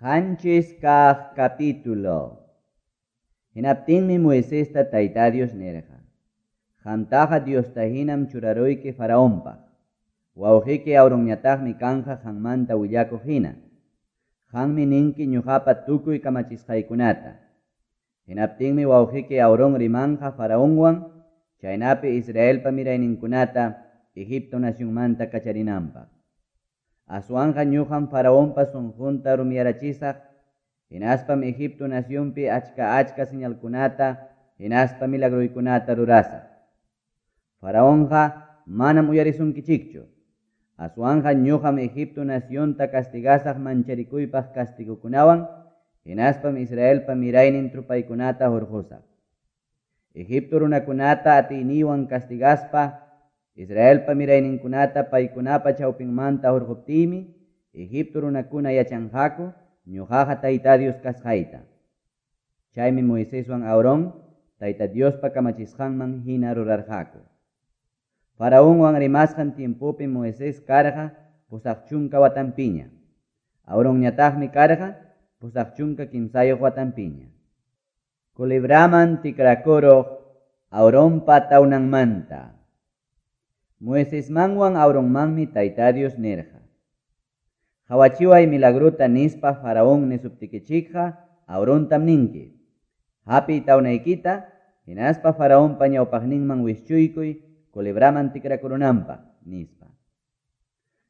7 kaq capítulo. Hinaptinmi Moisesta Tayta Dios nirqa: Qamtaqa Diosta hinam churaruyki Faraonpaq. Wawqiki Aaronñataqmi kanqa qanmanta willakuq hina. Qanmi ninki ñuqapa tukuy kamachisqaykunata. Hinaptinmi wawqiki Aarón rimanqa Faraonwan, chaynapi Israelpa mirayninkunata Egipto nacionmanta kacharinanpaq. Aswanqa ñuqam Faraonpa sunqunta rumiyarachisaq, hinaspam Egipto nacionpi achka-achka señalkunata hinaspa milagroykunata rurasaq. Faraonqa manam uyarisunkichikchu. Aswanqa ñuqam Egipto nacionta castigasaq mancharikuypaq castigokunawan, hinaspam Israelpa miraynin trupaykunata hurqusaq. Egipto runakunata atiyniywan castigaspa Israelpa mirayninkunata paykunapa chawpinmanta hurquptiymi, Egipto runakuna yachanqaku ñuqaqa Tayta Dios kasqayta. Chaymi Moiseswan Aarón Tayta Diospa kamachisqanman hina rurarqaku. Faraonwan rimasqan tiempopim Moisés karqa 80 watanpiña. Aaronñataqmi karqa 83 watanpiña. Culebraman tikrakuruq Aaronpa tawnanmanta. Moisesmanwan Aaronmanmi Tayta Dios nirqa: Qawachiway milagrota nispa Faraón nisuptikichikqa Aarontam ninki: Hapiy tawnaykita, hinaspa Faraonpa ñawpaqninman wischuykuy culebraman tikrakurunanpaq, nispa.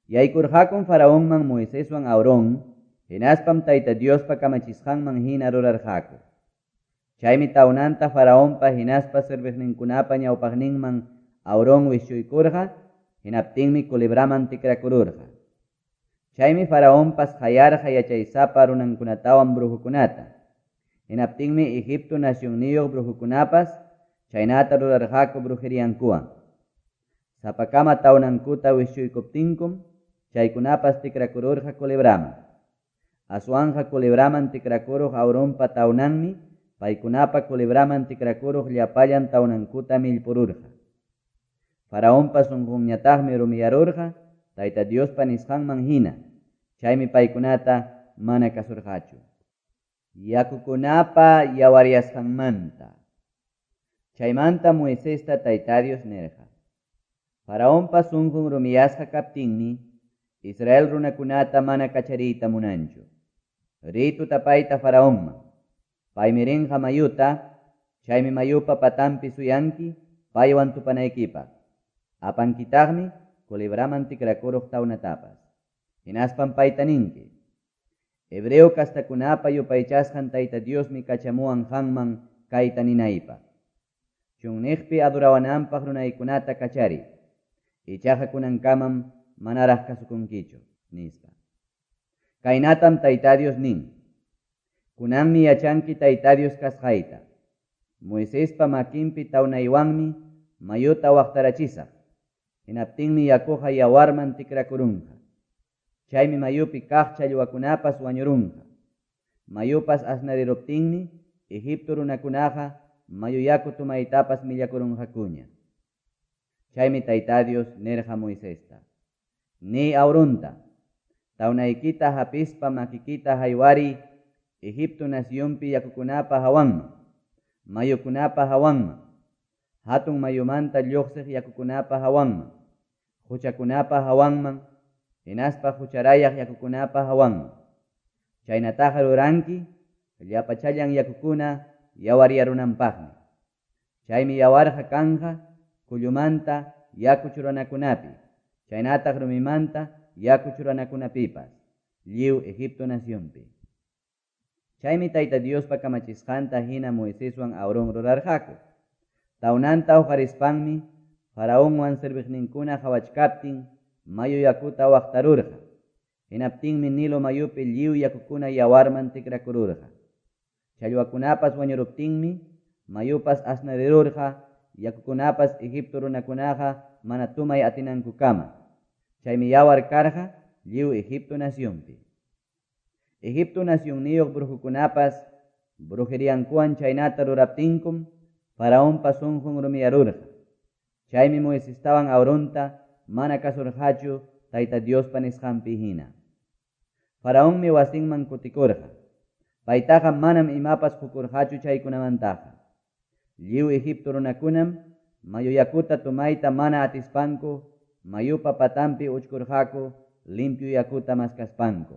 Yaykurqakum Faraonman Moiseswan Aarón, hinaspam Tayta Diospa kamachisqanman hina rurarqaku. Chaymi tawnanta Faraonpa hinaspa serviqninkunapa ñawpaqninman Aarón wischuykurqa, hinaptinmi culebraman tikrakururqa. Chaymi Faraonpas qayarqa yachaysapa runankunatawan brujokunata. Hinaptinmi Egipto nacionniyuq brujokunapas chaynata rurarqaku brujeriankuwan. Sapakama tawnankuta wischuykuptinkum chaykunapas tikrakururqa culebraman. Aswanqa culebraman tikrakuruq Aaronpa tawnanmi paykunapa culebraman tikrakuruq llapallan tawnankuta millpururqa. Faraonpa sunqunñataqmi rumiyarurqa Tayta Diospa nisqanman hina, chaymi paykunata mana kasurqachu. Yakukunapa yawaryasqanmanta. Chaymanta Moisesta Tayta Dios nirqa: Faraonpa sunqun rumiyasqa kaptinmi Israel runakunata mana kachariyta munanchu. Riy tutapayta Faraonman. Paymi rinqa mayuta, chaymi mayupa patanpi suyanki paywan tupanaykipaq. Apankitaqmi culebraman tikrakuruq tawnatapas. Hinaspam payta ninki: Hebreo kastakunapa yupaychasqan Tayta Diosmi kachamuwan qanman kayta ninaypaq: Chunniqpi adorawananpaq runaykunata kachariy. Ichaqa kunankamam manaraq kasukunkichu, nispa. Kaynatam Tayta Dios nin: Kunanmi yachanki Tayta Dios kasqayta. Moisespa makinpi tawnaywanmi mayuta waqtarachisaq. Hinaptinmi yakuqa yawarman tikrakurunqa. Chaymi mayupi kaq challwakunapas wañurunqa. Mayupas asnariruptinmi Egipto runakunaqa mayu yaku tomaytapas millakurunqakuña. Chaymi Tayta Dios nirqa Moisesta: Niy Aaronta, tawnaykita hapispa makikita haywariy Egipto nacionpi yakukunapa hawanman, mayukunapa hawanman, hatun mayumanta lluqsiq yakukunapa hawanman, quchakunapa hawanman, hinaspa qucharayaq yakukunapa hawanman. Chaynataqa ruranki llapachallan yakukuna yawaryarunanpaqmi. Chaymi yawarqa kanqa kullumanta yaku churanakunapi, chaynataq rumimanta yaku churanakunapipas, lliw Egipto nacionpi. Chaymi Tayta Diospa kamachisqanta hina Moiseswan Aarón rurarqaku. Tawnanta huqarispanmi Faraonwan serviqninkuna qawachkaptin mayu yakuta waqtarurqa. Hinaptinmi Nilo mayupi lliw yakukuna yawarman tikrakururqa. Challwakunapas wañuruptinmi mayupas asnarirurqa, yakukunapas Egipto runakunaqa mana tomay atinankukama. Chaymi yawar karqa lliw Egipto nacionpi. Egipto nacionniyuq brujokunapas brujeriankuwan chaynata ruraptinkum Faraonpa sunqun rumiyarurqa. Chaymi Moisestawan Aaronta mana kasurqachu Tayta Diospa nisqanpi hina. Faraonmi wasinman kutikurqa. Paytaqa manam imapas qokurqachu chaykunamantaqa. Lliw Egipto runakunam mayu yakuta tomayta mana atispanku mayupa patanpi uchkurqaku limpio yakuta maskaspanku.